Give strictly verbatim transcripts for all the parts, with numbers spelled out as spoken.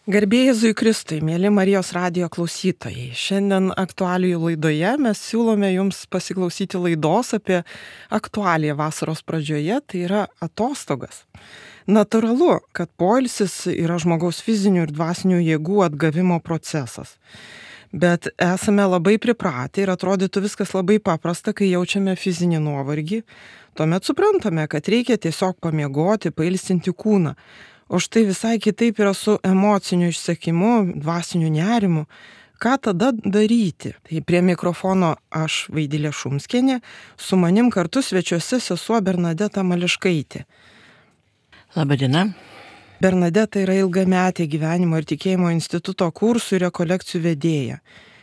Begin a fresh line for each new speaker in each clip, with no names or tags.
Garbė Jėzui Kristui, mėly Marijos radijo klausytojai. Šiandien aktualijų laidoje mes siūlome jums pasiklausyti laidos apie aktualiją vasaros pradžioje, tai yra atostogas. Natūralu, kad poilsis yra žmogaus fizinių ir dvasinių jėgų atgavimo procesas. Bet esame labai pripratę ir atrodytų viskas labai paprasta, kai jaučiame fizinį nuovargį. Tuomet suprantame, kad reikia tiesiog pamiegoti, pailsinti kūną. O štai visai kitaip yra su emociniu išsekimu, dvasiniu nerimu. Ką tada daryti? Tai prie mikrofono aš, Vaidilė Šumskienė, su manim kartu svečiuose sesuo Bernadeta Mališkaitė.
Labadiena.
Bernadeta yra ilgametė Gyvenimo ir tikėjimo instituto kursų ir rekolekcijų vedėja.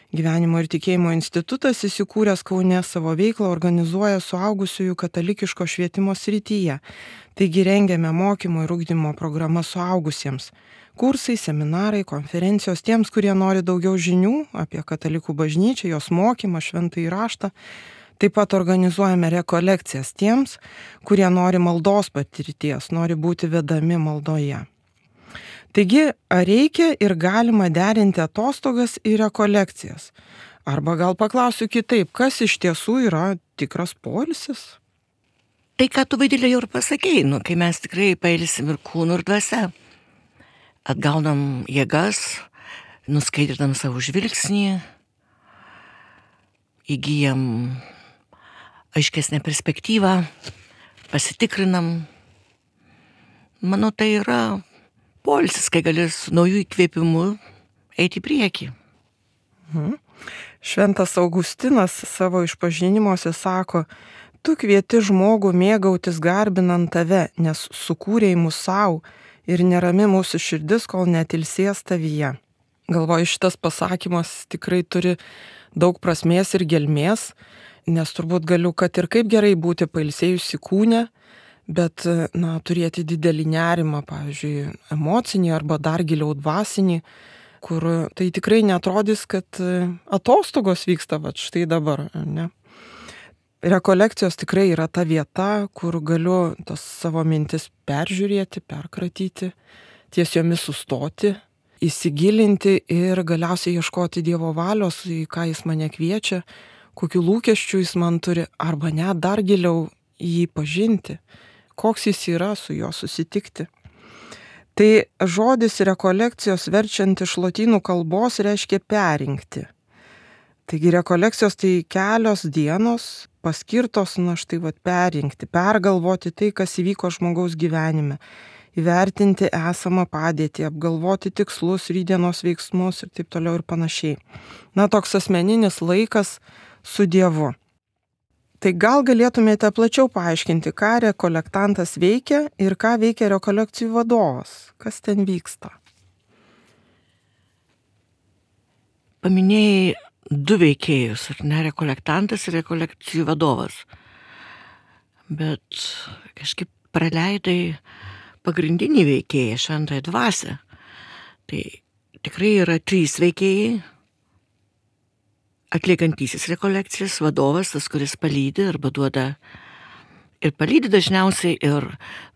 Gyvenimo ir tikėjimo institutas įsikūręs Kaune savo veiklą organizuoja suaugusiųjų katalikiško švietimo srityje. Taigi rengiame mokymo ir ugdymo programą suaugusiems. Kursai, seminarai, konferencijos tiems, kurie nori daugiau žinių apie katalikų bažnyčią, jos mokymą, šventąjį raštą. Taip pat organizuojame rekolekcijas tiems, kurie nori maldos patirties, nori būti vedami maldoje. Taigi, ar reikia ir galima derinti atostogas ir rekolekcijas? Arba gal paklausiu kitaip, kas iš tiesų yra tikras poilsis?
Tai, ką tu, Vaidilė, jau ir pasakei, nu, kai mes tikrai pailsim ir kūnų ir dvasia. Atgaunam jėgas, nuskaidrinam savo žvilgsnį, įgyjam aiškesnę perspektyvą, pasitikrinam. Manau, tai yra poilsis, kai gali su naujų įkvėpimų eiti į priekį.
Mhm. Šventas Augustinas savo išpažinimuose sako, tu kvieti žmogų mėgautis garbinant tave, nes sukūrei mus savo ir nerami mūsų širdis, kol netilsės tavyje. Galvoju, šitas pasakymas tikrai turi daug prasmės ir gelmės, nes turbūt galiu, kad ir kaip gerai būti pailsėjusi kūne, bet, na, turėti didelį nerimą, pavyzdžiui, emocinį arba dar giliau dvasinį, kur tai tikrai neatrodys, kad atostogos vyksta va štai dabar, ne? Rekolekcijos tikrai yra ta vieta, kur galiu tas savo mintis peržiūrėti, perkratyti, ties jomis sustoti, įsigilinti ir galiausiai ieškoti Dievo valios, į ką Jis mane kviečia, kokių lūkesčių Jis man turi, arba net dar giliau jį pažinti, koks Jis yra, su juo susitikti. Tai žodis rekolekcijos verčiant iš lotynų kalbos reiškia perinkti. Taigi rekolekcijos tai kelios dienos paskirtos, na štai vat perinkti, pergalvoti tai, kas įvyko žmogaus gyvenime, įvertinti esamą padėtį, apgalvoti tikslus, rytdienos veiksmus ir taip toliau ir panašiai. Na, toks asmeninis laikas su Dievu. Tai gal galėtumėte plačiau paaiškinti, ką rekolektantas veikia ir ką veikia rekolekcijų vadovas? Kas ten vyksta?
Paminėjai du veikėjus, ar ne, rekolektantas ir rekolekcijų vadovas. Bet kažkaip praleidai pagrindinį veikėją, šventąją dvasią. Tai tikrai yra trys veikėjai. Atliekantysis rekolekcijas, vadovas, tas, kuris palydi arba duoda, ir palydi dažniausiai ir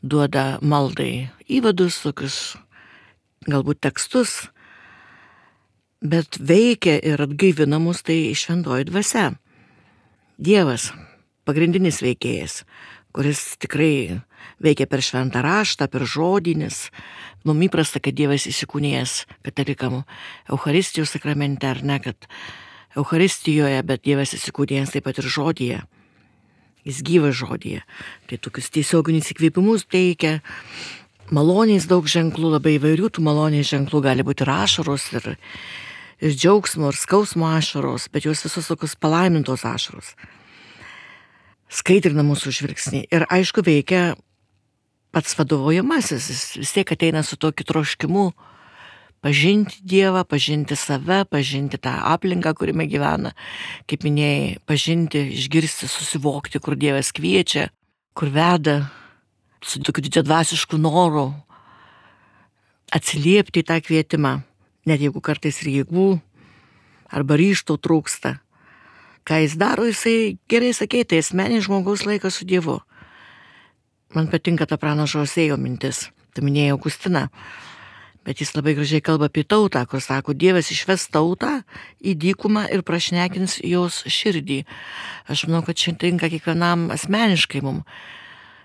duoda maldai įvadus, tokius galbūt tekstus, bet veikia ir atgaivina mus tai šventoji dvasia. Dievas, pagrindinis veikėjas, kuris tikrai veikia per šventą raštą, per žodinis. Mums įprasta, kad Dievas įsikūnijęs katalikam Eucharistijos sakramente, ar ne, kad Eucharistijoje, bet Dievas įsikūnijęs taip pat ir žodyje. Jis gyvas žodyje. Tai tokius tiesioginius įkvėpimus teikia. Maloniais daug ženklų, labai įvairių tų maloniais ženklų, gali būti ir ašaros, ir, ir džiaugsmo, ir skausmo ašaros, bet jos visos tokios palaimintos ašaros. Skaidrina mūsų žvilgsnį. Ir aišku, veikia pats vadovaujamasis. Jis vis tiek ateina su tokiu troškimu pažinti Dievą, pažinti save, pažinti tą aplinką, kuriame gyvena. Kaip minėjai, pažinti, išgirsti, susivokti, kur Dievas kviečia, kur veda, su tokiu didžiadvasišku noru atsiliepti į tą kvietimą, net jeigu kartais ir jėgų arba ryžto trūksta. Ką jis daro, jisai gerai sakė, tai asmeninis žmogaus laikas su Dievu. Man patinka ta pranašo Osėjo mintis, tu minėjai Augustiną. Bet jis labai gražiai kalba apie tautą, kur sako, Dievas išves tautą į dykumą ir prašnekins jos širdį. Aš manau, kad čia tinka kiekvienam asmeniškai mums.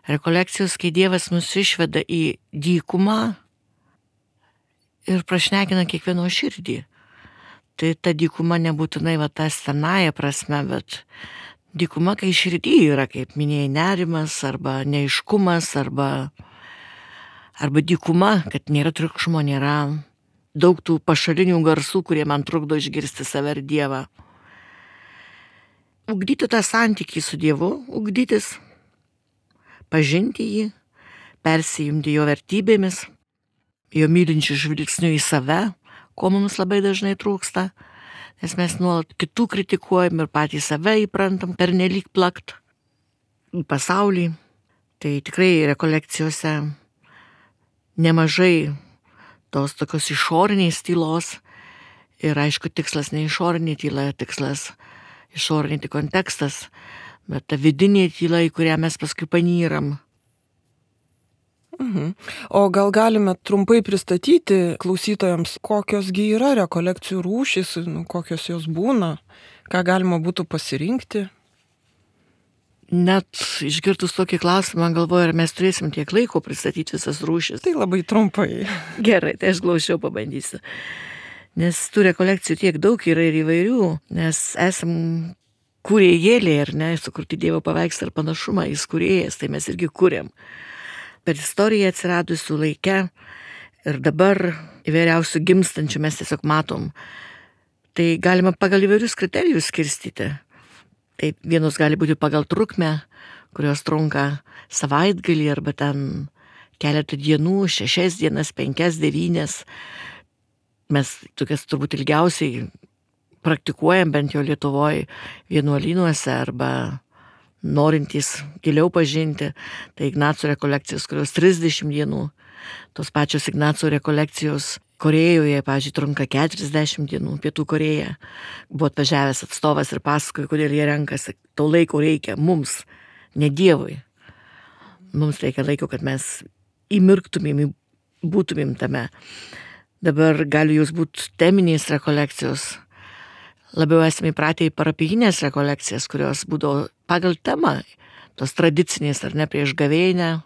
Rekolekcijos, kai Dievas mus išveda į dykumą ir prašnekina kiekvieno širdį. Tai ta dykuma nebūtinai va ta senąja prasme, bet dykuma, kai širdį yra, kaip minėjai, nerimas arba neaiškumas, arba, arba dykuma, kad nėra triukšmo, nėra daug tų pašalinių garsų, kurie man trukdo išgirsti save ir Dievą. Ugdyti tą santykį su Dievu, ugdytis, pažinti jį, persijimti jo vertybėmis, jo mylinčių žvilgsnių į save, ko mums labai dažnai trūksta, nes mes nuolat kitų kritikuojam ir patys save įprantam pernelyg plakt į pasaulį. Tai tikrai rekolekcijose nemažai tos tokios išoriniais tylos ir aišku tikslas ne išorinė tyla, tikslas išorinė kontekstas, bet ta vidinė tyla, į kurią mes paskui panyram.
Mhm. O gal galime trumpai pristatyti klausytojams, kokiosgi yra rekolekcijų rūšys, nu, kokios jos būna, ką galima būtų pasirinkti?
Net išgirdus tokį klausimą, galvoju, ar mes turėsim tiek laiko pristatyti visas rūšis.
Tai labai trumpai.
Gerai, tai aš glaušiau pabandysiu. Nes tų rekolekcijų tiek daug yra ir įvairių, nes esam kūrėjėliai, ar ne, sukurti Dievo paveikslą ir panašumą, jis kūrėjas, tai mes irgi kūrėm. Per istoriją atsiradusių laikę ir dabar įvairiausių gimstančių mes tiesiog matom. Tai galima pagal įvairius kriterijus skirstyti. Tai vienos gali būti pagal trukmę, kurios trunka savaitgalį arba ten keletą dienų, šešias dienas, penkias, devynias. Mes tokias turbūt ilgiausiai praktikuojam bent jau Lietuvoje vienuolynuose arba norintys giliau pažinti. Tai Ignaco rekolekcijos, kurios trisdešimt dienų. Tos pačios Ignaco rekolekcijos Korėjoje, pavyzdžiui, trunka keturiasdešimt dienų, Pietų Korėja. Buvo atvažiavęs atstovas ir pasakojo, kodėl jie renkasi. To laiko reikia mums, ne Dievui. Mums reikia laiko, kad mes įmirktumėm, būtumėm tame. Dabar gali jūs būti teminės rekolekcijos. Labiau esame įpratę į parapijinės rekolekcijas, kurios būdavo pagal temą, tos tradicinės ar ne, prieš gavėnią,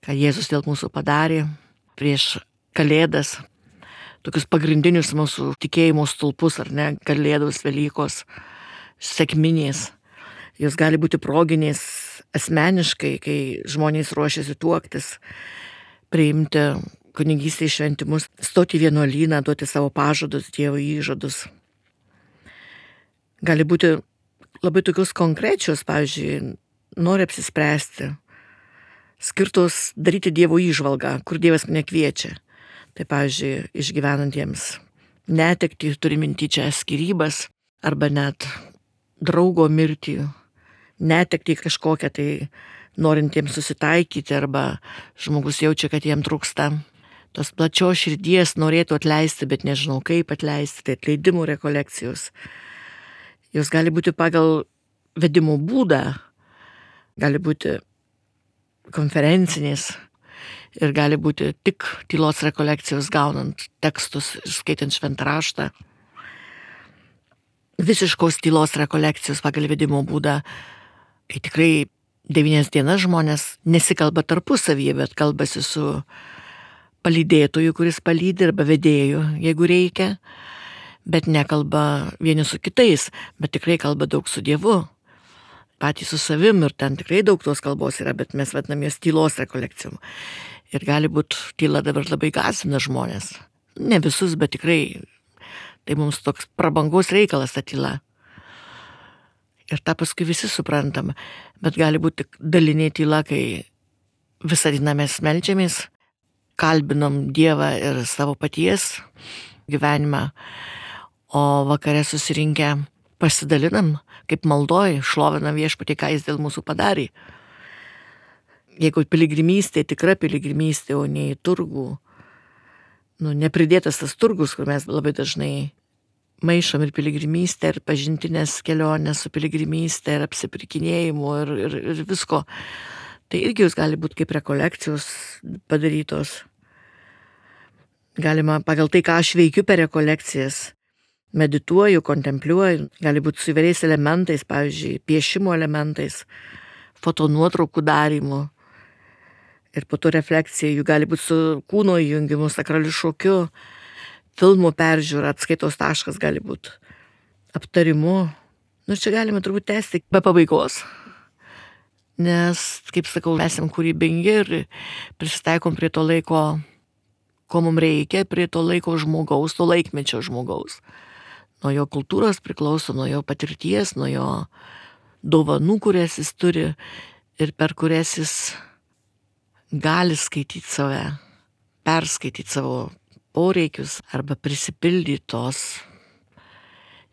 ką Jėzus dėl mūsų padarė, prieš Kalėdas, tokius pagrindinius mūsų tikėjimo stulpus, ar ne, Kalėdos, Velykos, sekminės. Jos gali būti proginės asmeniškai, kai žmonės ruošiasi tuoktis, priimti kunigystės šventimus, stoti į vienuolyną, duoti savo pažadus, Dievo įžadus. Gali būti labai tokios konkrečios, pavyzdžiui, nori apsispręsti, skirtos daryti Dievo įžvalgą, kur Dievas mane kviečia. Tai, pavyzdžiui, išgyvenantiems netektį, turi minty čia skyrybas, arba net draugo mirtį, netektį kažkokią, tai norintiems susitaikyti, arba žmogus jaučia, kad jiem trūksta tos plačios širdies, norėtų atleisti, bet nežinau kaip atleisti, tai atleidimų rekolekcijos. Jos gali būti pagal vedimo būdą, gali būti konferencinės ir gali būti tik tylos rekolekcijos gaunant tekstus ir skaitant šventą raštą. Visiškos tylos rekolekcijos pagal vedimo būdą, kai tikrai devynias dienas žmonės nesikalba tarpusavyje, bet kalbasi su palydėtoju, kuris palydi, arba vedėju, jeigu reikia, bet nekalba vieni su kitais, bet tikrai kalba daug su Dievu, patys su savim, ir ten tikrai daug tos kalbos yra, bet mes vadinam jas tylos rekolekcijom. Ir gali būti tyla dabar labai gąsdina žmonės. Ne visus, bet tikrai tai mums toks prabangos reikalas ta tyla. Ir tą paskui visi suprantam, bet gali būti dalinė tyla, kai visą dieną mes meldžiamės, kalbinam Dievą ir savo paties gyvenimą, o vakare susirinkę pasidalinam, kaip maldoj, šlovinam Viešpatį, ką jis dėl mūsų padarė. Jeigu piligrimystė, tikra piligrimystė, o ne į turgų, nu, nepridėtas tas turgus, kur mes labai dažnai maišom ir piligrimystę, ir pažintinės kelionės su piligrimystė, ir apsipirkinėjimu, ir, ir, ir visko. Tai irgi jūs gali būti kaip rekolekcijos padarytos. galima pagal tai, ką aš veikiu per rekolekcijas, medituoju, kontempliuoju, gali būti su įvairiais elementais, pavyzdžiui, piešimo elementais, fotonuotraukų darymu. Ir po to refleksija, jų gali būti su kūno įjungimu, sakraliu šokiu, filmų peržiūra, atskaitos taškas gali būti, aptarimu. Nu, čia galime turbūt tęsti be pabaigos. Nes, kaip sakau, esam kūrybingi ir prisitaikom prie to laiko, ko mums reikia, prie to laiko žmogaus, to laikmečio žmogaus. Nuo jo kultūros priklauso, nuo jo patirties, nuo jo dovanų, kurias jis turi ir per kurias jis gali skaityti save, perskaityti savo poreikius arba prisipildyti tos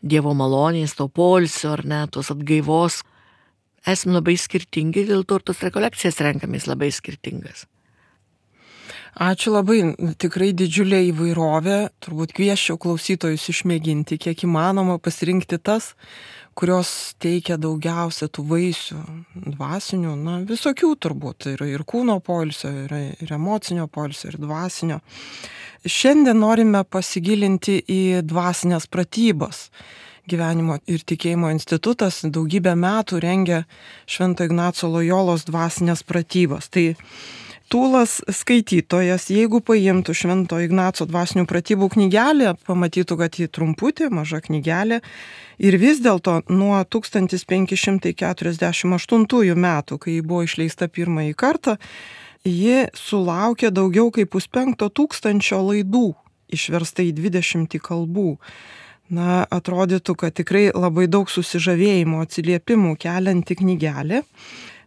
Dievo malonės, to poilsio ar ne, tos atgaivos. Esame labai skirtingi, dėl to ir tos rekolekcijas renkamės labai skirtingas.
Ačiū labai, tikrai didžiulė įvairovė, turbūt kviesčiau klausytojus išmėginti, kiek įmanoma pasirinkti tas, kurios teikia daugiausia tų vaisių dvasinių, na visokių turbūt, ir, ir kūno poilsio, ir, ir emocinio poilsio, ir dvasinio. Šiandien norime pasigilinti į dvasinės pratybas. Gyvenimo ir tikėjimo institutas daugybę metų rengia Švento Ignaco Lojolos dvasinės pratybas. Tai tūlas skaitytojas, jeigu paimtų Švento Ignaco dvasinių pratybų knygelę, pamatytų, kad ji trumputė, maža knygelė, ir vis dėlto nuo tūkstantis penki šimtai keturiasdešimt aštuntųjų metų, kai ji buvo išleista pirmąjį kartą, ji sulaukė daugiau kaip puspenkto tūkstančio laidų, išversta į dvidešimtį kalbų. Na, atrodytų, kad tikrai labai daug susižavėjimo atsiliepimų kelianti knygelė,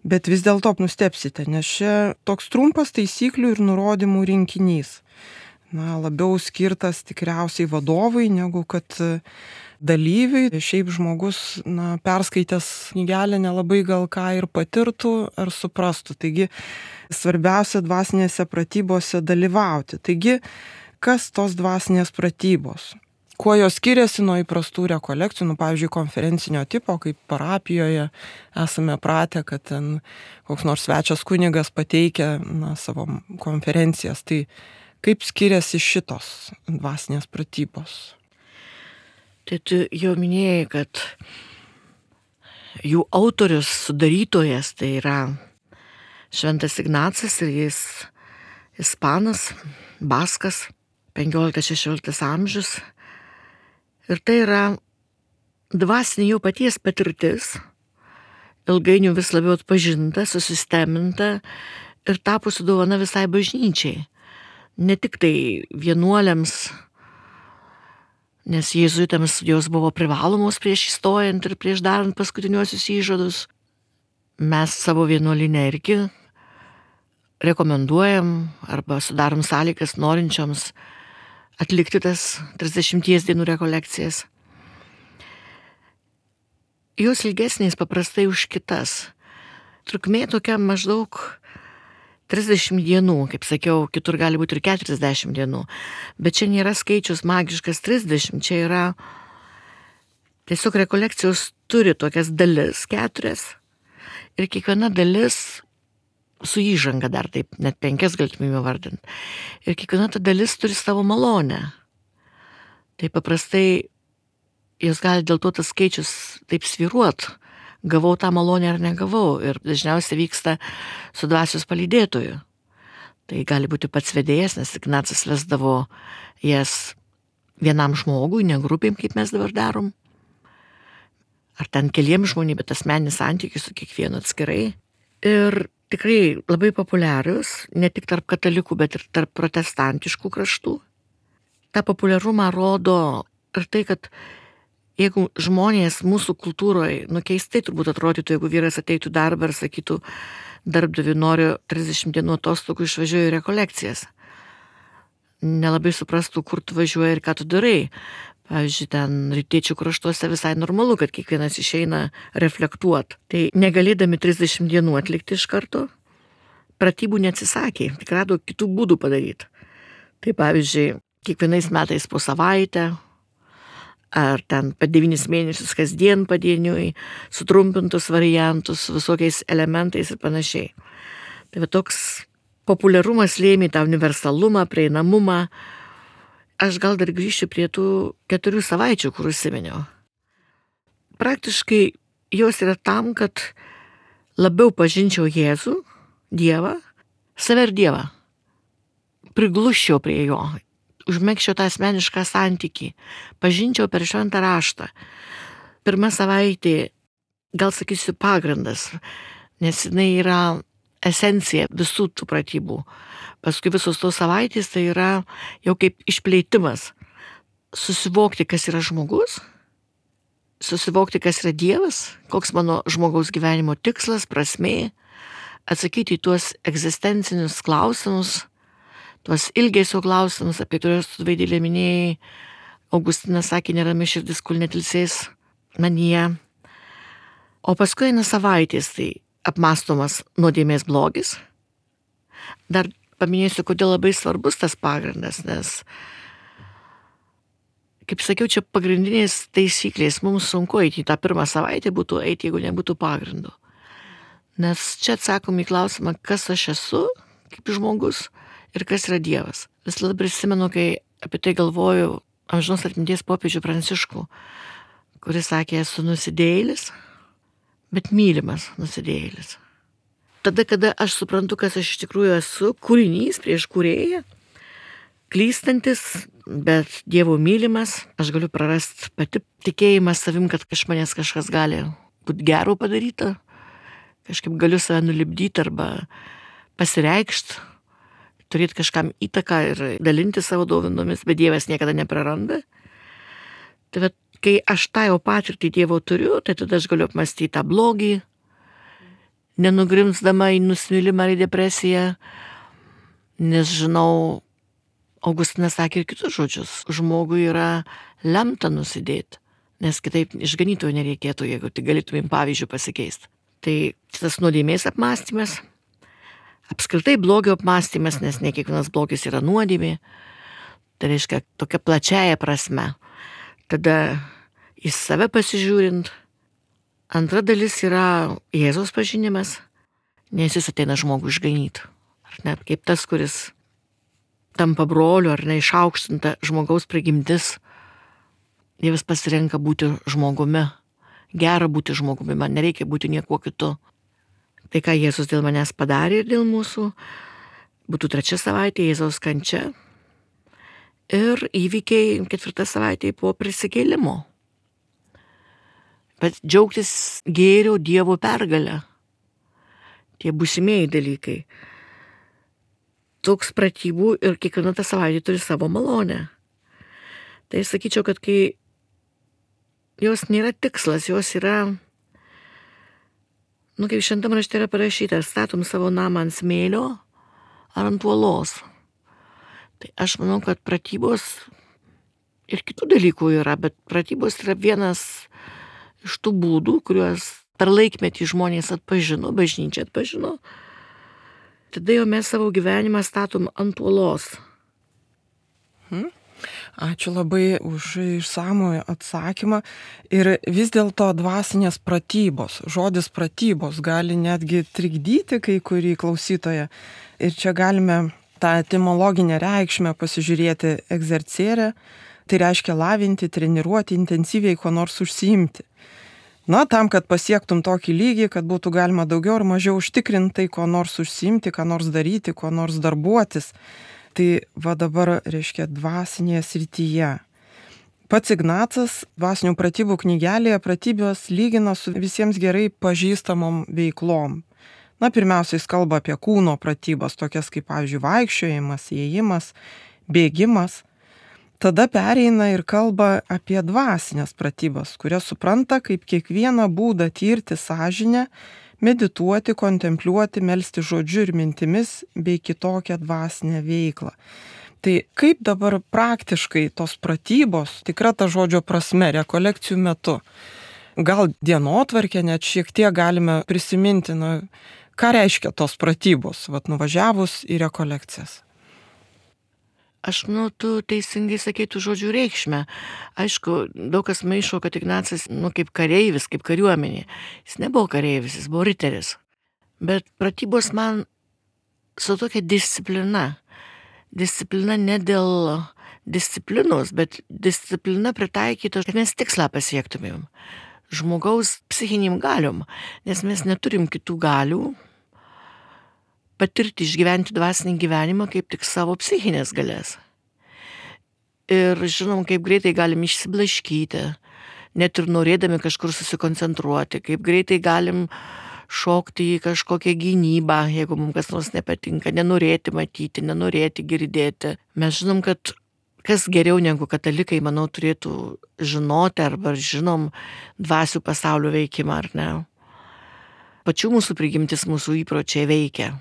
bet vis dėlto nustepsite, nes čia toks trumpas taisyklių ir nurodymų rinkinys. Na, labiau skirtas tikriausiai vadovui, negu kad dalyviui. Šiaip žmogus, na, perskaitęs knygelę nelabai gal ką ir patirtų ar suprastų. Taigi, svarbiausia dvasinėse pratybose dalyvauti. Taigi, kas tos dvasinės pratybos? Kuo jos skiriasi nuo įprastų rekolekcijų, nu, pavyzdžiui, konferencinio tipo, kaip parapijoje esame pratę, kad ten koks nors svečias kunigas pateikia, na, savo konferencijas. Tai kaip skiriasi šitos dvasinės pratybos?
Tai tu jau minėjai, kad jų autorius, sudarytojas, tai yra Šventas Ignacas ir jis ispanas, baskas, penkioliktas šešioliktas amžius. Ir tai yra dvasinė jo paties patirtis, ilgainiui vis labiau atpažinta, susisteminta ir tapusi dovana visai bažnyčiai. Ne tik tai vienuoliams, nes jėzuitams jos buvo privalomos prieš įstojant ir prieš darant paskutiniuosius įžadus. Mes savo vienuolinę irgi rekomenduojam arba sudarom sąlygas norinčioms atlikti tas trisdešimties dienų rekolekcijas. Jos ilgesnės paprastai už kitas. Trukmė tokia maždaug trisdešimt dienų, kaip sakiau, kitur gali būti ir keturiasdešimt dienų. Bet čia nėra skaičius magiškas trisdešimt, čia yra tiesiog rekolekcijos turi tokias dalis, keturias. Ir kiekviena dalis su įžanga dar taip, net penkias galėtume vardinti. Ir kiekviena ta dalis turi savo malonę. Tai paprastai jos gali dėl to tas skaičius taip svyruot. Gavau tą malonę ar negavau. Ir dažniausiai vyksta su dvasios palydėtoju. Tai gali būti pats vedėjas, nes Ignacas vesdavo jas vienam žmogui, ne grupėm, kaip mes dabar darom. Ar ten keliem žmonėm, bet asmeninis santykis su kiekvienu atskirai. Ir tikrai labai populiarius, ne tik tarp katalikų, bet ir tarp protestantiškų kraštų. Ta populiarumą rodo ir tai, kad jeigu žmonės mūsų kultūroje, nu keistai turbūt atrodytų, jeigu vyras ateitų darbą ir sakytų, darbdaviui noriu trisdešimt dienų atostogų, išvažiuoju į rekolekcijas. Nelabai suprastų, kur tu važiuoji ir ką tu darai. Pavyzdžiui, ten rytiečių kraštuose visai normalu, kad kiekvienas išeina reflektuot. Tai negalėdami trisdešimt dienų atlikti iš karto, pratybų neatsisakė, tik rado kitų būdų padaryti. Tai pavyzdžiui, kiekvienais metais po savaitę, ar ten po devynis mėnesius kasdien padieniui, sutrumpintus variantus, visokiais elementais ir panašiai. Tai va toks populiarumas lėmė tą universalumą, prieinamumą, aš gal dar grįšiu prie tų keturių savaičių, kur užsiminiau. Praktiškai jos yra tam, kad labiau pažinčiau Jėzų, Dievą, save ir Dievą. Prigluščiau prie jo, užmegščiau tą asmenišką santykį, pažinčiau per šventą raštą. Pirma savaitė, gal sakysiu, pagrindas, nes jinai yra esencija visų tų pratybų. Paskui visos tos savaitės tai yra jau kaip išplėtimas. Susivokti, kas yra žmogus, susivokti, kas yra Dievas, koks mano žmogaus gyvenimo tikslas, prasmė, atsakyti į tuos egzistencinius klausimus, tuos ilgesio klausimus, apie kuriuos tu Vaidilė minėjai. Augustinas sakė, nerami širdis, kol netilsės manyje. O paskui eina savaitės, tai apmąstomas nuodėmės blogis. Dar paminėsiu, kodėl labai svarbus tas pagrindas, nes, kaip sakiau, čia pagrindinės taisyklės. Mums sunku eiti į tą pirmą savaitę, būtų eiti, jeigu nebūtų pagrindo. Nes čia atsakom į klausimą, kas aš esu kaip žmogus ir kas yra Dievas. Vis labai prisimenu, kai apie tai galvoju, amžinos atminties popiežių Pranciškų, kuris sakė, esu nusidėjėlis, bet mylimas nusidėjėlis. Tada, kada aš suprantu, kas aš iš tikrųjų esu, kūrinys prieš kūrėją, klystantis, bet Dievo mylimas, aš galiu prarasti pati tikėjimą savim, kad iš manęs kažkas gali būti gero padaryta, kažkaip galiu save nulipdyti arba pasireikšti, turėti kažkam įtaką ir dalinti savo dovanomis, bet Dievas niekada nepraranda. Tai bet, kai aš tą jau patirtį Dievo turiu, tai tada aš galiu apmąstyti tą blogį, nenugrimsdama į nusivylimą ar į depresiją, nes žinau, Augustinas sakė ir kitus žodžius, žmogui yra lemta nusidėti, nes kitaip išganytojo nereikėtų, jeigu tik galėtumėm pavyzdžių pasikeisti. Tai tas nuodėmės apmąstymas, apskritai blogio apmąstymas, nes ne kiekvienas blogis yra nuodėmė, tai reiškia tokia plačiaja prasme. Tada į save pasižiūrint. Antra dalis yra Jėzaus pažinimas, nes jis ateina žmogų išganyti. Ar net kaip tas, kuris tampa broliu, ar neišaukštinta žmogaus prigimtis. Dievas pasirenka būti žmogumi. Gera būti žmogumi, man nereikia būti niekuo kitu. Tai, ką Jėzus dėl manęs padarė ir dėl mūsų, būtų trečia savaitė Jėzaus kančia ir įvykiai ketvirta savaitė po prisikėlimo. Bet džiaugtis gėrio Dievo pergalę. Tie būsimieji dalykai. Toks pratybų ir kiekviena ta savaitė turi savo malonę. Tai sakyčiau, kad kai jos nėra tikslas, jos yra, nu kaip šventam rašte yra parašyta, statom savo namą ant smėlio ar ant uolos. Tai aš manau, kad pratybos ir kitų dalykų yra, bet pratybos yra vienas iš tų būdų, kuriuos per laikmetį žmonės atpažino, bažnyčia atpažino. Tada jau mes savo gyvenimą statom ant uolos.
Hmm. Ačiū labai už išsamų atsakymą. Ir vis dėlto dvasinės pratybos, žodis pratybos gali netgi trikdyti kai kurį klausytoją. Ir čia galime tą etimologinę reikšmę pasižiūrėti egzercere, tai reiškia lavinti, treniruoti, intensyviai kuo nors užsiimti. Na, tam, kad pasiektum tokį lygį, kad būtų galima daugiau ar mažiau užtikrintai kuo nors užsiimti, ką nors daryti, kuo nors darbuotis. Tai va dabar reiškia dvasinėje srityje. Pats Ignacas dvasinių pratybų knygelėje pratybos lygina su visiems gerai pažįstamom veiklom. Na, pirmiausia, jis kalba apie kūno pratybas, tokias kaip, pavyzdžiui, vaikščiojimas, ėjimas, bėgimas. Tada pereina ir kalba apie dvasinės pratybas, kurias supranta kaip kiekvieną būdą tirti sąžinę, medituoti, kontempliuoti, melsti žodžiu ir mintimis bei kitokią dvasinę veiklą. Tai kaip dabar praktiškai tos pratybos, tikra ta žodžio prasme, rekolekcijų metu, gal dienotvarkę net šiek tiek galime prisiminti, na, ką reiškia tos pratybos, vat nuvažiavus į rekolekcijas.
Aš, nu, tu teisingai sakytų žodžių reikšmę. Aišku, daug kas maišo, kad Ignacas, nu, kaip kareivis, kaip kariuomenė. Jis nebuvo kareivis, jis buvo riteris. Bet pratybos man su tokia disciplina. Disciplina ne dėl, disciplinos, bet disciplina pritaikyta, kad mes tikslą pasiektumėm. Žmogaus psichiniam galiom, nes mes neturim kitų galių patirti, išgyventi dvasinį gyvenimą kaip tik savo psichinės galės. Ir žinom, kaip greitai galim išsiblaškyti, net ir norėdami kažkur susikoncentruoti, kaip greitai galim šokti į kažkokią gynybą, jeigu mums kas nors nepatinka, nenorėti matyti, nenorėti girdėti. Mes žinom, kad kas geriau negu katalikai, manau, turėtų žinoti arba žinom dvasių pasaulio veikimą, ar ne. Pačių mūsų prigimtis, mūsų įpročiai veikia.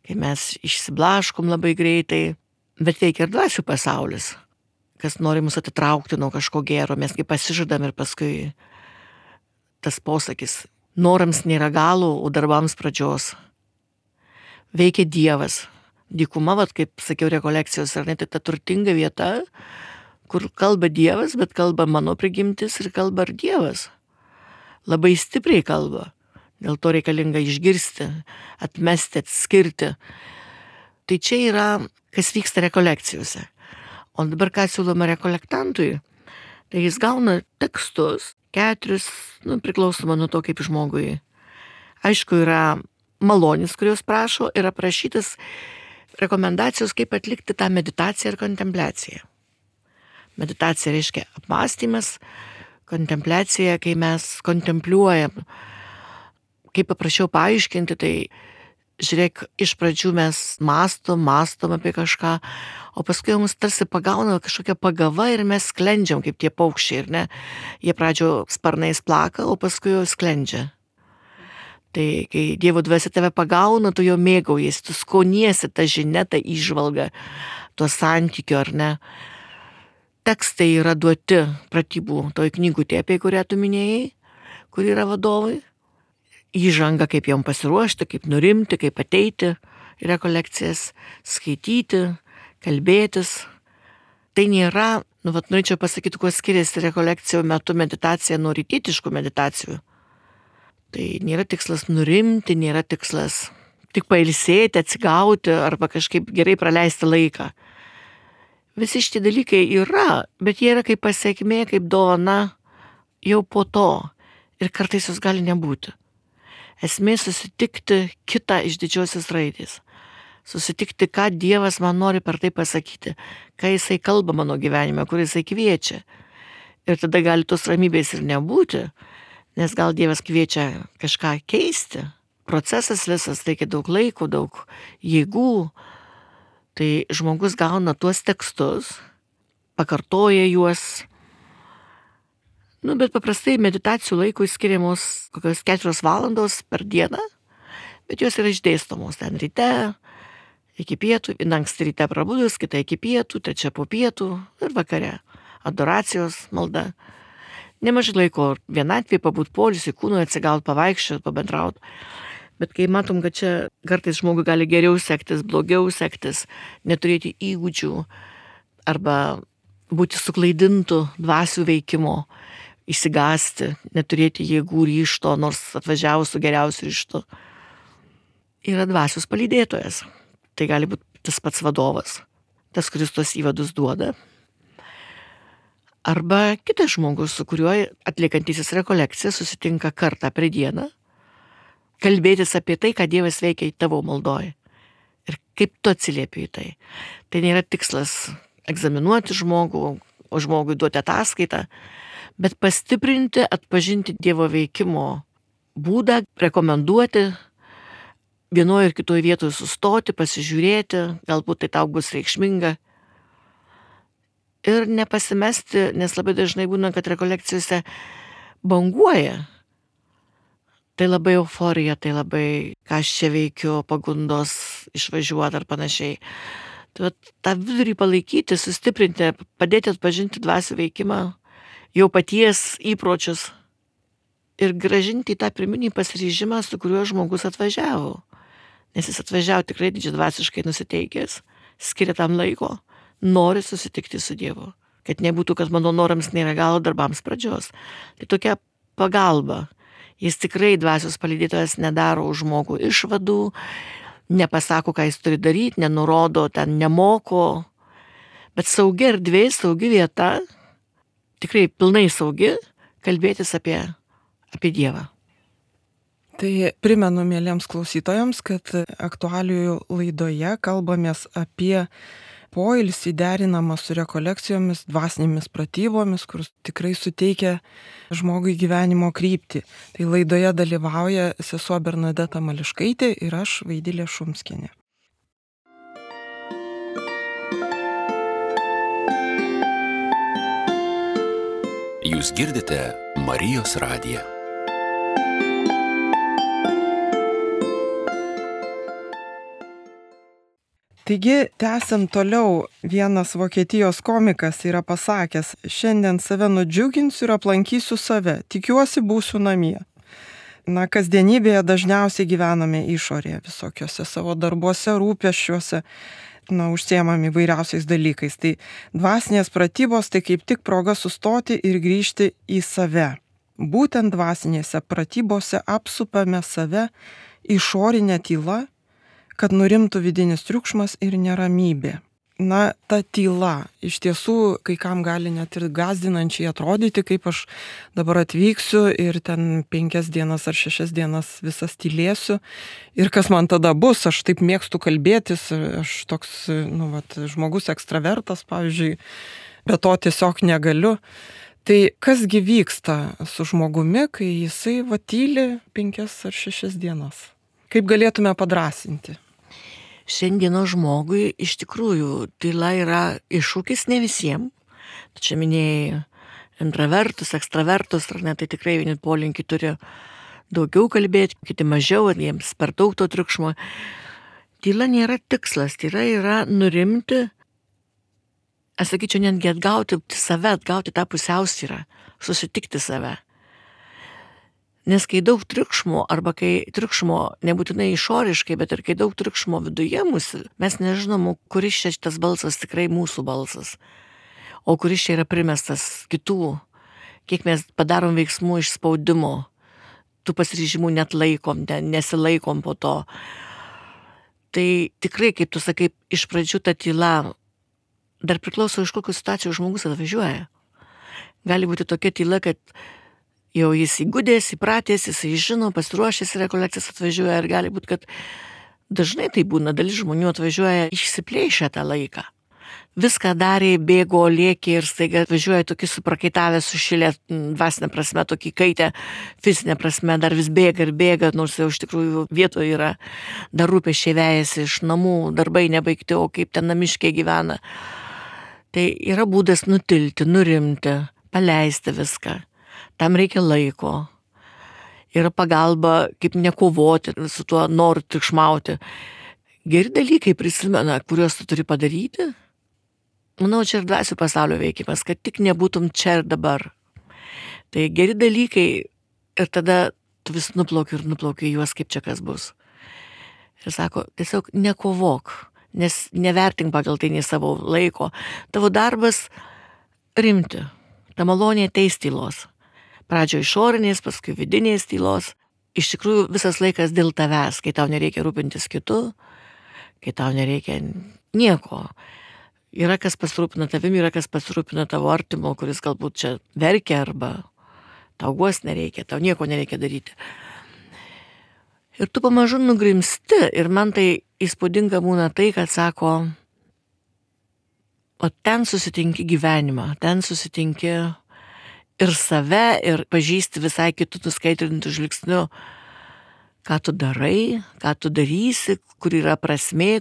Kai mes išsiblaškom labai greitai, bet veikia ir dvasių pasaulis, kas nori mus atitraukti nuo kažko gero, mes kaip pasižadam ir paskui tas posakis, norams nėra galo, o darbams pradžios. Veikia Dievas. Dykuma, vat, kaip sakiau, rekolekcijos, ar ne, tai ta turtinga vieta, kur kalba Dievas, bet kalba mano prigimtis ir kalba ir Dievas. Labai stipriai kalba. Dėl to reikalinga išgirsti, atmesti, atskirti. Tai čia yra, kas vyksta rekolekcijose. O dabar ką siūloma rekolektantui, tai jis gauna tekstus, keturis, nu, priklausoma nuo to, kaip žmogui. Aišku, yra malonis, kurios prašo, ir aprašytas rekomendacijos, kaip atlikti tą meditaciją ir kontempliaciją. Meditacija reiškia apmąstymas, kontempliacija, kai mes kontempliuojam. Kaip paprašiau paaiškinti, tai žiūrėk, iš pradžių mes mąstom, mąstom apie kažką, o paskui mums tarsi pagauna kažkokia pagava ir mes sklendžiam kaip tie paukščiai, ir ne? Jie pradžio sparnais plaka, o paskui jau sklendžia. Tai kai Dievo dvasia tave pagauna, tu jo mėgaujasi, tu skoniesi tą žinią, tą įžvalgą, to santykio, ar ne? Tekstai yra duoti pratybų toj knygutė, apie kurią tu minėjai, kur yra vadovai. Įžanga, kaip jom pasiruošti, kaip nurimti, kaip ateiti į rekolekcijas, skaityti, kalbėtis. Tai nėra, nu, vat, norėčiau pasakyti, kuo skiriasi rekolekcijų metu meditacija nuo rytietiškų meditacijų. Tai nėra tikslas nurimti, nėra tikslas tik pailsėti, atsigauti arba kažkaip gerai praleisti laiką. Visi šitie dalykai yra, bet jie yra kaip pasiekmė, kaip dovana jau po to. Ir kartais jos gali nebūti. Esmė susitikti kitą iš didžiosios raidės. Susitikti, ką Dievas man nori per tai pasakyti, ką jisai kalba mano gyvenime, kur jisai kviečia. Ir tada gali tos ramybės ir nebūti, nes gal Dievas kviečia kažką keisti. Procesas visas reikia daug laiko, daug jėgų. Tai žmogus gauna tuos tekstus, pakartoja juos. Nu, bet paprastai meditacijų laikui skiriamos kokios keturios valandos per dieną, bet jos yra išdėstomos ten ryte, iki pietų, anksti ryte prabudus, kita iki pietų, trečia po pietų ir vakare. Adoracijos malda. Nemažai laiko vienatvėje pabūt poilsį, kūnui atsigaut, pavaikščiot, pabendraut. Bet kai matom, kad čia kartais žmogui gali geriau sektis, blogiau sektis, neturėti įgūdžių arba būti suklaidintų dvasių veikimo, išsigąsti, neturėti jėgų ryžto, nors atvažiavus su geriausiu ryžtu. Yra dvasios palydėtojas. Tai gali būti tas pats vadovas, tas, kuris tos įvadus duoda. Arba kitas žmogus, su kuriuo atliekantysis rekolekciją susitinka kartą per dieną, kalbėtis apie tai, ką Dievas veikia į tavo maldoje. Ir kaip tu atsiliepi į tai. Tai nėra tikslas egzaminuoti žmogų, o žmogui duoti ataskaitą, bet pastiprinti, atpažinti Dievo veikimo būdą, rekomenduoti, vienoje ir kitoje vietoje sustoti, pasižiūrėti, galbūt tai tau bus reikšminga. Ir nepasimesti, nes labai dažnai būna, kad rekolekcijose banguoja. Tai labai euforija, tai labai, ką aš čia veikiu, pagundos išvažiuoti ar panašiai. Tai tą vidurį palaikyti, sustiprinti, padėti atpažinti dvasių veikimą, jau paties įpročius ir gražinti į tą pirminį pasiryžimą, su kuriuo žmogus atvažiavo. Nes jis atvažiavo tikrai didžiadvasiškai nusiteikęs, skiria tam laiko, nori susitikti su Dievu. Kad nebūtų, kad mano norams nėra galo, darbams pradžios. Tai tokia pagalba. Jis tikrai dvasios palydėtojas nedaro už žmogų išvadų, nepasako, ką jis turi daryti, nenurodo, ten nemoko, Bet saugi erdvė, saugi vieta, tikrai pilnai saugi, kalbėtis apie, apie Dievą.
Tai primenu mėlyms klausytojams, kad aktualijų laidoje kalbamės apie poilsį derinamą su rekolekcijomis, dvasinėmis pratybomis, kur tikrai suteikia žmogui gyvenimo kryptį. Tai laidoje dalyvauja sesuo Bernadeta Mališkaitė ir aš, Vaidilė Šumskienė.
Jūs girdite Marijos radiją.
Taigi, tęsiant toliau, vienas Vokietijos komikas yra pasakęs, šiandien save nudžiuginsiu ir aplankysiu save, tikiuosi būsiu namie. Na, kasdienybėje dažniausiai gyvename išorėje, visokiose savo darbuose, rūpesčiuose, na, užsiemami įvairiausiais dalykais. Tai dvasinės pratybos tai kaip tik proga sustoti ir grįžti į save. Būtent dvasinėse pratybose apsupame save išorinę tylą, kad nurimtų vidinis triukšmas ir neramybė. Na, ta tyla iš tiesų kai kam gali net ir gąsdinančiai atrodyti, kaip aš dabar atvyksiu ir ten penkias dienas ar šešias dienas visas tylėsiu. Ir kas man tada bus, aš taip mėgstu kalbėtis, aš toks, nu, vat, žmogus ekstravertas, pavyzdžiui, be to tiesiog negaliu. Tai kasgi vyksta su žmogumi, kai jisai va tyli penkias ar šešias dienas? Kaip galėtume padrąsinti?
Šiandieno žmogui iš tikrųjų tyla yra iššūkis ne visiems. Čia minėjai intravertus, ekstravertus, ar ne, tai tikrai vieni polinkį turi daugiau kalbėti, kiti mažiau, ar jiems per daug to triukšmo. Tyla nėra tikslas, tyla yra nurimti, aš sakyčiau, netgi atgauti save, atgauti tą pusiausvyrą, susitikti save. Nes kai daug triukšmo, arba kai triukšmo nebūtinai išoriškai, bet ir kai daug triukšmo viduje mūsų, mes nežinom, kuris čia šitas balsas tikrai mūsų balsas, o kuris čia yra primestas kitų, kiek mes padarom veiksmų iš spaudimo, tų pasiryžimų net laikom, nesilaikom po to. Tai tikrai, kaip tu sakai, iš pradžių ta tyla dar priklauso iš kokių situacijų žmogus atvažiuoja. Gali būti tokia tyla, kad jau jis įgudęs, įpratęs, jisai žino, pasiruošęs rekolekcijas atvažiuoja ir gali būti, kad dažnai tai būna, dalis žmonių atvažiuoja išsiplėšę tą laiką. Viską darė, bėgo, lėkė ir staiga atvažiuoja tokį suprakaitavę, sušilę dvasinę prasme, tokį kaitę, fizinę prasme, dar vis bėga ir bėga, nors jau iš tikrųjų vietoje yra, dar rūpesčiai vejasi iš namų, darbai nebaigti, o kaip ten namiškiai gyvena. Tai yra būdas nutilti, nurimti, paleisti viską. Tam reikia laiko. Yra pagalba, kaip nekovoti su tuo noru triukšmauti. Geri dalykai prisimena, kuriuos tu turi padaryti. Manau, čia ir dvasių pasaulio veikimas, kad tik nebūtum čia ir dabar. Tai geri dalykai ir tada tu vis nuplauki ir nuplauki juos, kaip čia kas bus. Ir sako, tiesiog nekovok, nes nevertink pagal tai nei savo laiko. Tavo darbas rimti. Ta malonė ateis tylos. Pradžio išorinės, paskui vidinės tylos. Iš tikrųjų visas laikas dėl tavęs, kai tau nereikia rūpintis kitu, kai tau nereikia nieko. Yra kas pasirūpina tavim, yra kas pasirūpina tavo artimo, kuris galbūt čia verkia arba tau guos nereikia, tau nieko nereikia daryti. Ir tu pamažu nugrimsti ir man tai įspūdinga būna tai, kad sako, o ten susitinki gyvenimą, ten susitinki ir save, ir pažįsti visai kitų nuskaitrintų žvilgsnių, ką tu darai, ką tu darysi, kur yra prasmė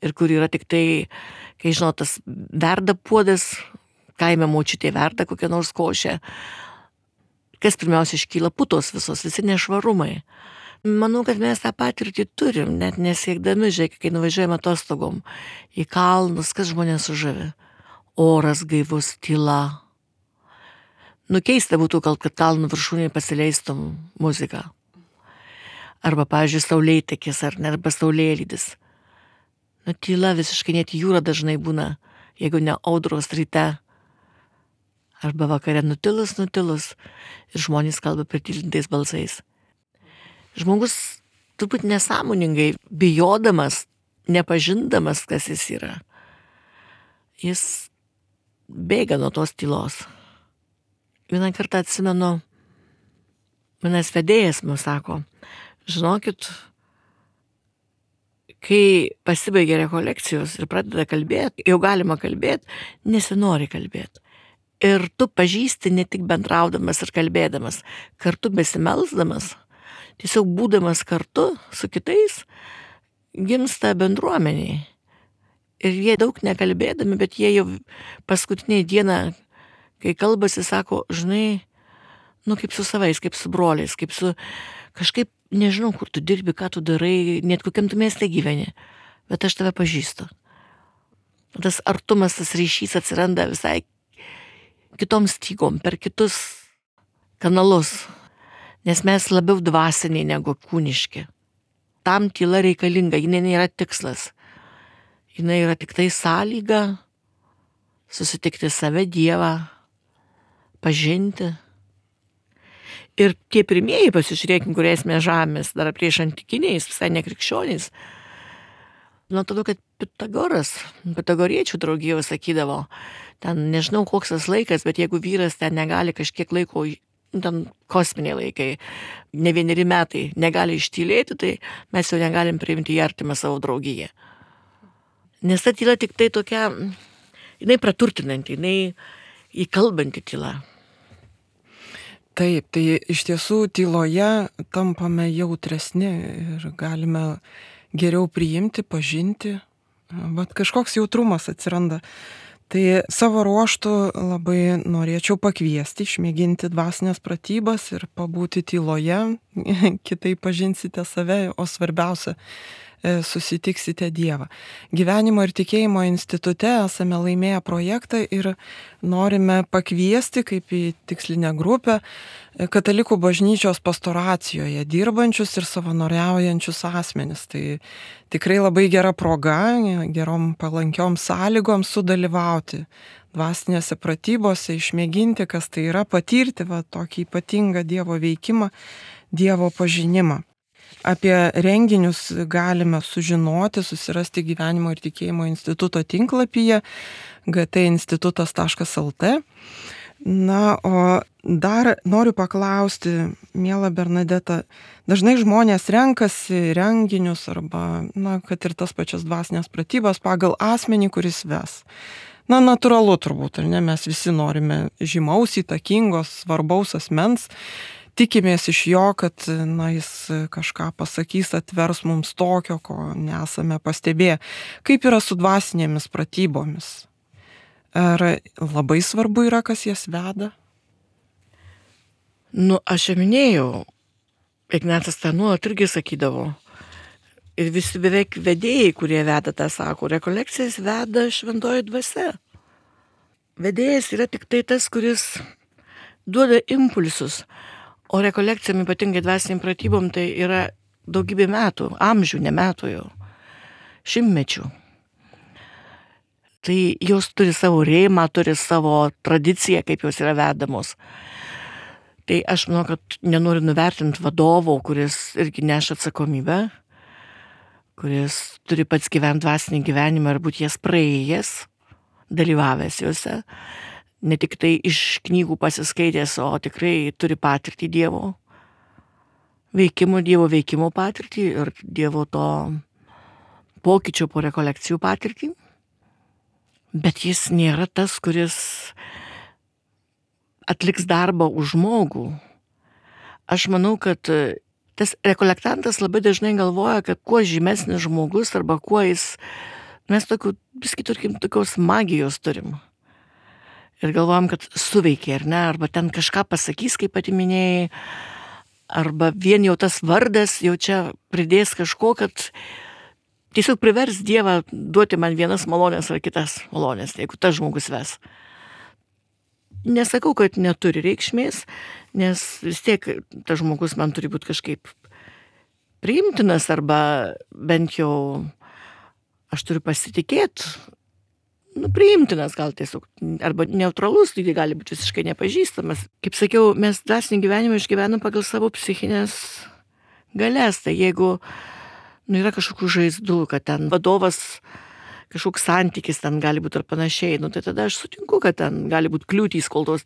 ir kur yra tik tai, kai žinot, tas verda puodas, kaime močiutė verda kokią nors košę. Kas pirmiausia iškyla? Putos visos, visi nešvarumai. Manau, kad mes tą patirtį turim, net nesiekdami, žiūrėk, kai nuvažiuojame atostogom į kalnus, kas žmonės sužavi? Oras gaivus, tyla. Nu, keista būtų, kad kalnų viršūnėje pasileistum muziką. Arba, pavyzdžiui, saulėtekis, ar ne, arba saulėlydis. Nu, tyla visiškai, net jūra dažnai būna, jeigu ne audros ryte. Arba vakare nutilus, nutilus. Ir žmonės kalba pritylintais balsais. Žmogus turbūt nesąmoningai, bijodamas, nepažindamas, kas jis yra. Jis bėga nuo tos tylos. Vieną kartą atsimenu, vienas vedėjas man sako, žinokit, kai pasibaigia rekolekcijos ir pradeda kalbėti, jau galima kalbėti, nesinori kalbėti. Ir tu pažįsti ne tik bendraudamas ir kalbėdamas, kartu besimelsdamas, tiesiog būdamas kartu su kitais, gimsta bendruomeniai. Ir jie daug nekalbėdami, bet jie jau paskutinį dieną, kai kalbasi, sako, žinai, nu kaip su savais, kaip su broliais, kaip su kažkaip, nežinau, kur tu dirbi, ką tu darai, net kokiam tu mieste gyveni, bet aš tave pažįstu. Tas artumas, tas ryšys atsiranda visai kitom stygom, per kitus kanalus, nes mes labiau dvasiniai negu kūniški. Tam tyla reikalinga, jinai nėra tikslas. Jinai yra tik tai sąlyga susitikti save, Dievą, pažinti. Ir tie pirmieji, pasižiūrėkim, kuriais mes žemės, dar prieš antikiniais, visai nekrikščioniais. Nuo tada, kad Pitagoras, pitagoriečių draugijoje sakydavo, ten nežinau koks tas laikas, bet jeigu vyras ten negali kažkiek laiko, ten kosminiai laikai, ne vieneri metai, negali ištylėti, tai mes jau negalim priimti į artimą savo draugiją. Nes ta tyla tik tai tokia, jinai praturtinanti, jinai įkalbanti tyla.
Taip, tai iš tiesų tyloje tampame jautresni ir galime geriau priimti, pažinti, vat kažkoks jautrumas atsiranda. Tai savo ruoštų labai norėčiau pakviesti, išmėginti dvasinės pratybas ir pabūti tyloje, kitaip pažinsite save, o svarbiausia, susitiksite Dievą. Gyvenimo ir tikėjimo institute esame laimėję projektą ir norime pakviesti kaip į tikslinę grupę katalikų bažnyčios pastoracijoje dirbančius ir savanoriaujančius asmenis. Tai tikrai labai gera proga, gerom palankiom sąlygom sudalyvauti dvasinėse pratybose, išmėginti, kas tai yra, patirti va, tokį ypatingą Dievo veikimą, Dievo pažinimą. Apie renginius galime sužinoti, susirasti Gyvenimo ir tikėjimo instituto tinklapyje g t institutas taškas l t. Na, o dar noriu paklausti, miela Bernadeta, dažnai žmonės renkasi renginius arba, na, kad ir tas pačias dvasinės pratybas pagal asmenį, kuris ves. Na, natūralu turbūt, ar ne, mes visi norime žymaus, įtakingos, svarbaus asmens. Tikimės iš jo, kad na, jis kažką pasakys, atvers mums tokio, ko nesame pastebėję. Kaip yra su dvasinėmis pratybomis? Ar labai svarbu yra, kas jas veda?
Nu, aš jau minėjau, Ignacas tą nuolat irgi sakydavo. Ir visi beveik vedėjai, kurie veda tą sako, rekolekcijas veda šventoji dvasia. Vedėjas yra tik tai tas, kuris duoda impulsus. O rekolekcijom, ypatingai dvasiniam pratybom, tai yra daugybė metų, amžių, ne metų jau, šimtmečių. Tai jos turi savo rėmą, turi savo tradiciją, kaip jos yra vedamos. Tai aš manau, kad nenoriu nuvertinti vadovo, kuris irgi neša atsakomybę, kuris turi pats gyventi dvasinį gyvenimą ir būti jas praėjęs, dalyvavęs juose. Ne tik tai iš knygų pasiskaitęs, o tikrai turi patirtį Dievo veikimo, Dievo veikimo patirtį ir Dievo to pokyčio po rekolekcijų patirtį. Bet jis nėra tas, kuris atliks darbą už žmogų. Aš manau, kad tas rekolektantas labai dažnai galvoja, kad kuo žymesnis žmogus arba kuo jis, mes tokių, viski turkim, tokios magijos turim. Ir galvojam, kad suveikia, ar ne, arba ten kažką pasakys, kaip pati minėjai, arba vien jau tas vardas jau čia pridės kažko, kad tiesiog privers Dievą duoti man vienas malonės ar kitas malonės, jeigu tas žmogus ves. Nesakau, kad neturi reikšmės, nes vis tiek tas žmogus man turi būti kažkaip priimtinas, arba bent jau aš turiu pasitikėti, nu, priimtinas gal tiesiog, arba neutralus, tai gali būti visiškai nepažįstamas. Kaip sakiau, mes dvasinį gyvenimą išgyvenam pagal savo psichinės galės. Tai jeigu nu, yra kažkokių žaizdų, kad ten vadovas kažkoks santykis ten gali būti ar panašiai, nu, tai tada aš sutinku, kad ten gali būti kliūtys, kol tos,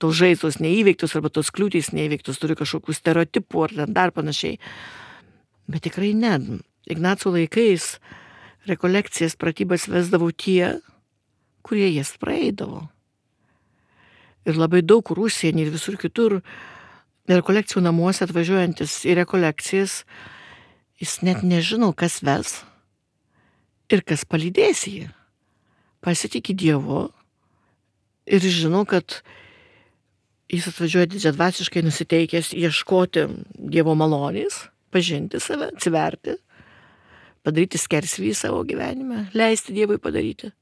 tos žaizdos neįveiktus arba tos kliūtys neįveiktus, turiu kažkokių stereotipų ar ten dar panašiai. Bet tikrai ne. Ignaco laikais rekolekcijas, pratybas vesdavau tie, kurie jas praeidavo. Ir labai daug Rusienį ir visur kitur rekolekcijų namuose atvažiuojantis į rekolekcijas, jis net nežino, kas ves ir kas palydės jį. Pasitikė Dievu ir žino, kad jis atvažiuoja didžiadvasiškai nusiteikęs ieškoti Dievo malonės, pažinti save, atsiverti, padaryti skersvį savo gyvenime, leisti Dievui padaryti.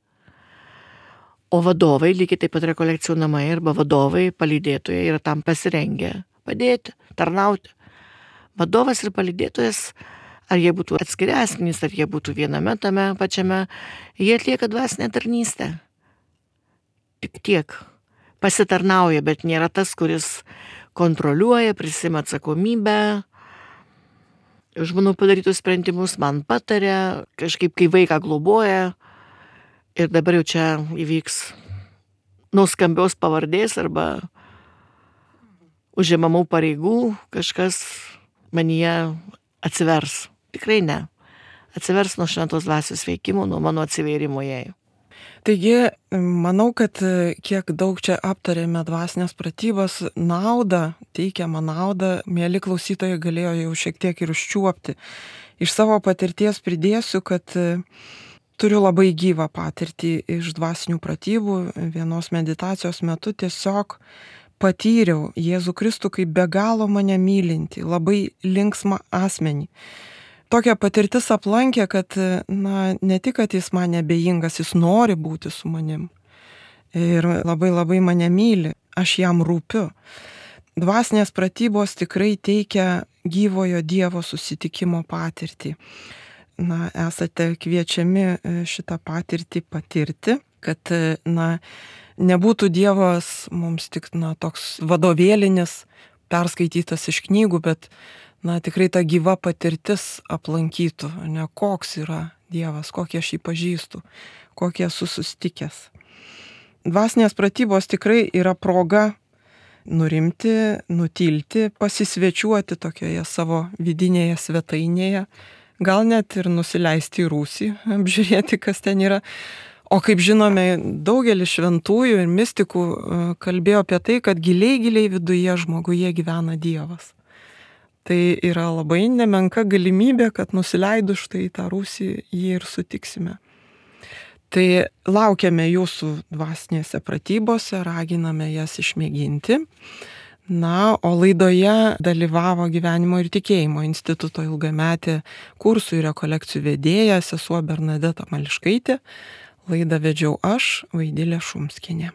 O vadovai, lygiai taip pat rekolekcijų namai arba vadovai, palydėtojai yra tam pasirengę padėti, tarnauti. Vadovas ir palydėtojas, ar jie būtų atskiri asmenys, ar jie būtų viename tame pačiame, jie atlieka dvasinę tarnystę. Tik tiek. Pasitarnauja, bet nėra tas, kuris kontroliuoja, prisima atsakomybę, už mano padarytus sprendimus man patarė, kažkaip kai vaiką globoja ir dabar jau čia įvyks nuskambios pavardės arba užimamų pareigų, kažkas manyje atsivers. Tikrai ne. Atsivers nuo šventos dvasios veikimo, nuo mano atsivėrimo jai.
Taigi, manau, kad kiek daug čia aptarėme dvasinės pratybas, naudą, teikiamą naudą, mėly klausytojai galėjo jau šiek tiek ir užčiuopti. Iš savo patirties pridėsiu, kad turiu labai gyvą patirtį iš dvasinių pratybų. Vienos meditacijos metu tiesiog patyriau Jėzų Kristų kaip be galo mane mylinti, labai linksmą asmenį. Tokia patirtis aplankė, kad na, ne tik, kad jis man nebejingas, jis nori būti su manim. Ir labai labai mane myli, aš jam rūpiu. Dvasinės pratybos tikrai teikia gyvojo Dievo susitikimo patirtį. Na, esate kviečiami šitą patirtį patirti, kad na, nebūtų Dievas mums tik na, toks vadovėlinis, perskaitytas iš knygų, bet na, tikrai ta gyva patirtis aplankytų, ne koks yra Dievas, kokį aš jį pažįstu, kokį esu susitikęs. Dvasinės pratybos tikrai yra proga nurimti, nutilti, pasisvečiuoti tokioje savo vidinėje svetainėje, gal net ir nusileisti į rūsį, apžiūrėti, kas ten yra. O kaip žinome, daugelis šventųjų ir mistikų kalbėjo apie tai, kad giliai, giliai viduje žmoguje gyvena Dievas. Tai yra labai nemenka galimybė, kad nusileidus štai tą rūsį jį ir sutiksime. Tai laukiame jūsų dvasinėse pratybose, raginame jas išmėginti. Na, o laidoje dalyvavo Gyvenimo ir tikėjimo instituto ilgametė kursų ir rekolekcijų vedėja sesuo Bernadeta Mališkaitė. Laidą vedžiau aš, Vaidilė Šumskienė.